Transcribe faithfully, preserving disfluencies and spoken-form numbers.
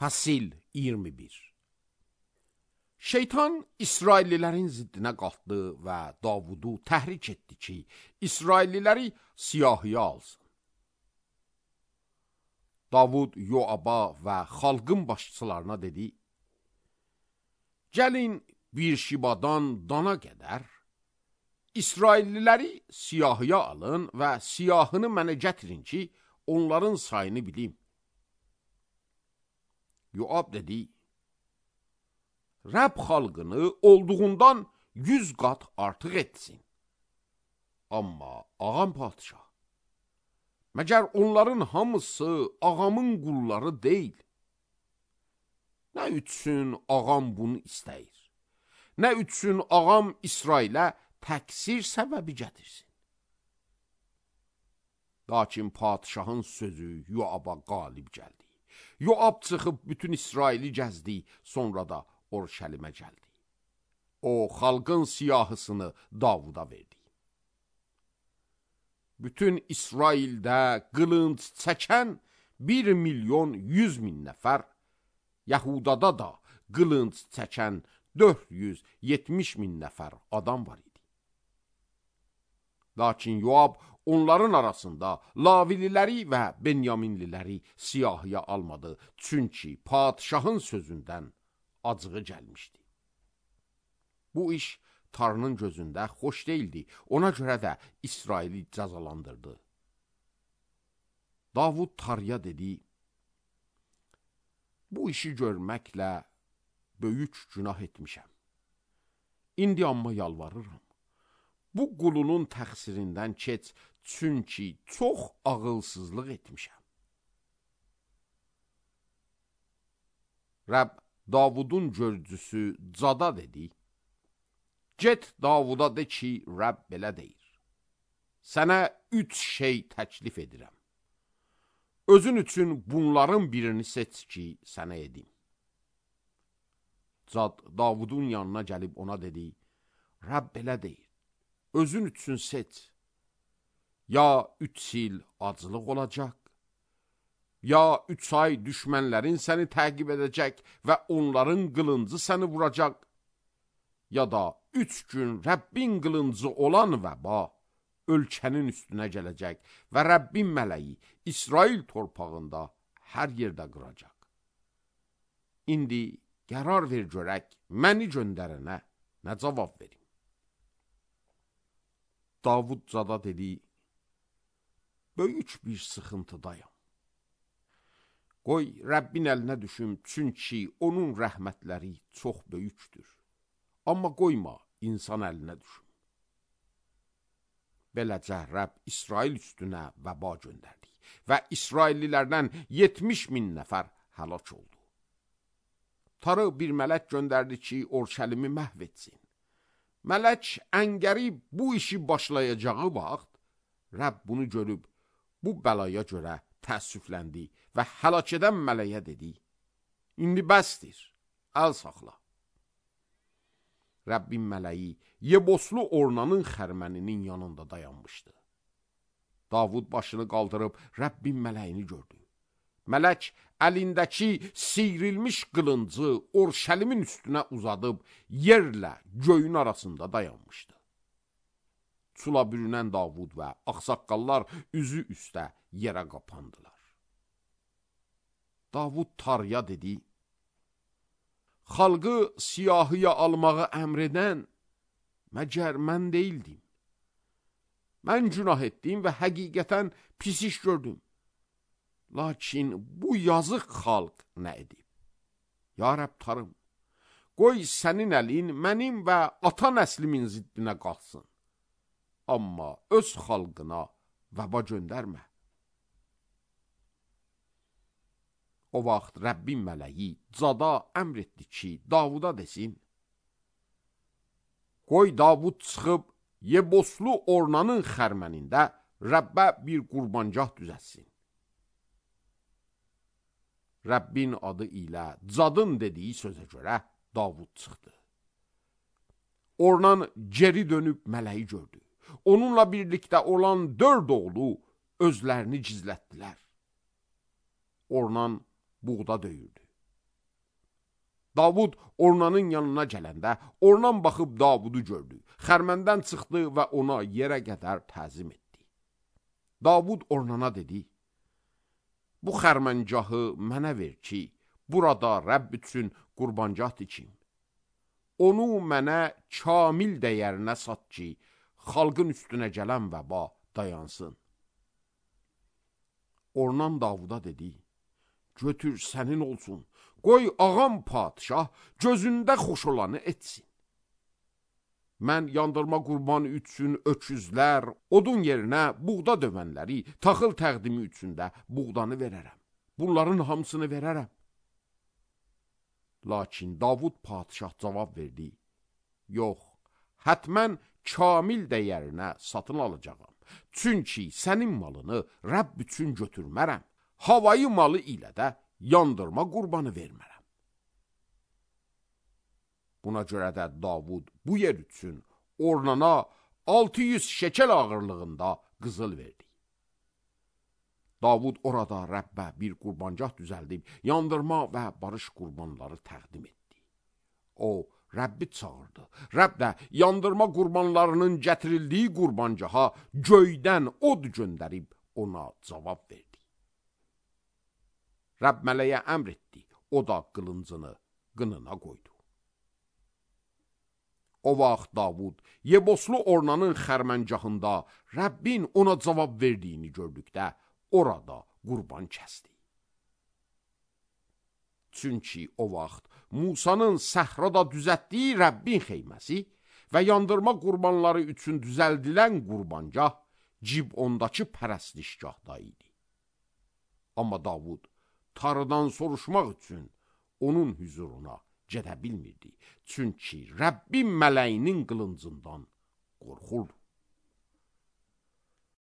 Fəsil iyirmi bir. Şeytan İsraillilərin ziddinə qalxdı və Davudu təhrik etdi ki, İsrailliləri siyahıya alsın. Davud Yoaba və xalqın başçılarına dedi, gəlin bir şibadan dana qədər, İsrailliləri siyahıya alın və siyahını mənə gətirin ki, onların sayını bilim. Yoab dedi, Rəbb xalqını olduğundan yüz qat artıq etsin. Amma ağam padişah, məgər onların hamısı ağamın qulları deyil. Nə üçün ağam bunu istəyir? Nə üçün ağam İsrailə təqsir səbəbi gətirsin? Lakin padişahın sözü Yoaba qalib gəldi. Yoab çıxıb bütün İsraili gəzdi, sonra da Orşəlimə gəldi. O, xalqın siyahısını Davuda verdi. Bütün İsraildə qılınc çəkən bir milyon yüz min nəfər, Yəhudada da qılınc çəkən dörd yüz yetmiş min nəfər adam var idi. Lakin Yoab onların arasında Lavililəri və Benyaminliləri siyahıya almadı, çünki padişahın sözündən acığı gəlmişdi. Bu iş Tanrının gözündə xoş deyildi, ona görə də İsraili cəzalandırdı. Davud Tarya dedi, bu işi görməklə böyük günah etmişəm. İndi amma yalvarıram. Bu qulunun təqsirindən keç, çünki çox ağılsızlıq etmişəm. Rəbb Davudun görücüsü Cada dedi, get Davuda de ki, Rəbb belə deyir. Sənə üç şey təklif edirəm. Özün üçün bunların birini seç ki, sənə edim. Cad Davudun yanına gəlib ona dedi, Rəbb belə deyir. Özün üçün seç. Ya üç il aclıq olacaq, ya üç ay düşmənlərin səni təqib edəcək və onların qılıncı səni vuracaq, ya da üç gün Rəbbin qılıncı olan vəba ölkənin üstünə gələcək və Rəbbin mələyi İsrail torpağında hər yerdə qıracaq. İndi qərar ver görək, məni göndərənə nə cavab verim? Davud Cada dedi, böyük bir sıxıntıdayım. Qoy Rəbbin əlinə düşüm, çünki onun rəhmətləri çox böyükdür. Amma qoyma insan əlinə düşüm. Beləcə Rəbb İsrail üstünə vəba göndərdi və İsraillilərdən yetmiş min nəfər həlak oldu. Tarı bir mələk göndərdi ki, Orşəlimi məhv etsin. Mələk əngəri bu işi başlayacağı vaxt, Rəbb bunu görüb, bu bəlaya görə təəssüfləndi və həlak edən mələyə dedi, indi bəsdir, əl saxla. Rəbbin mələyi Yeboslu Ornanın xərməninin yanında dayanmışdı. Davud başını qaldırıb Rəbbin mələyini gördü. Mələk əlindəki siyrilmiş qılıncı Orşəlimin üstünə uzadıb yerlə göyün arasında dayanmışdı. Sula bürünən Davud və ağsaqqallar üzü üstə yerə qapandılar. Davud Tarya dedi, xalqı siyahıya almağı əmr edən məgər mən deyildim. Mən günah etdim və həqiqətən pis iş gördüm. Lakin bu yazıq xalq nə edib? Ya Rəbb Tarım, qoy sənin əlin mənim və ata nəslimin ziddinə qalsın. Amma öz xalqına vəba göndərmə. O vaxt Rəbbin mələyi Cada əmr etdi ki, Davuda desin, qoy Davud çıxıb Yeboslu Ornanın xərmənində Rəbbə bir qurbancah düzətsin. Rəbbin adı ilə Cadın dediyi sözə görə Davud çıxdı. Ornan geri dönüb mələyi gördü. Onunla birlikdə olan dörd oğlu özlərini gizlətdilər. Ornan buğda döyürdü. Davud Ornanın yanına gələndə, Ornan baxıb Davudu gördü. Xərməndən çıxdı və ona yerə qədər təzim etdi. Davud Ornana dedi, bu xərməncahı mənə ver ki, burada Rəbb üçün qurbancah dikim. Onu mənə kamil dəyərinə sat ki, xalqın üstünə gələn vəba dayansın. Ornan Davuda dedi, götür sənin olsun, qoy ağam padişah gözündə xoş olanı etsin. Mən yandırma qurbanı üçün öküzlər, odun yerinə buğda dövənləri, taxıl təqdimi üçün də buğdanı verərəm. Bunların hamısını verərəm. Lakin Davud padişah cavab verdi, yox, hətmən kamil dəyərinə satın alacağam. Çünki sənin malını Rəbb üçün götürmərəm. Havayı malı ilə də yandırma qurbanı vermərəm. Buna görə də Davud bu yer üçün Ornana altı yüz şekel ağırlığında qızıl verdi. Davud orada Rəbbə bir qurbancah düzəldib, yandırma və barış qurbanları təqdim etdi. O, Rəbbi çağırdı. Rəbb də yandırma qurbanlarının gətirildiyi qurbancaha göydən od göndərib ona cavab verdi. Rəbb mələyə əmr etdi, o da qılıncını qınına qoydu. O vaxt Davud Yeboslu Ornanın xərməncahında Rəbbin ona cavab verdiyini gördükdə orada qurban kəsdi. Çünki o vaxt Musanın səhrada düzətdiyi Rəbbin xeyməsi və yandırma qurbanları üçün düzəldilən qurbancah Cibondakı pərəstişgahda idi. Amma Davud Tarıdan soruşmaq üçün onun hüzuruna gedə bilmirdi. Çünki Rəbbin mələyinin qılıncından qorxurdu.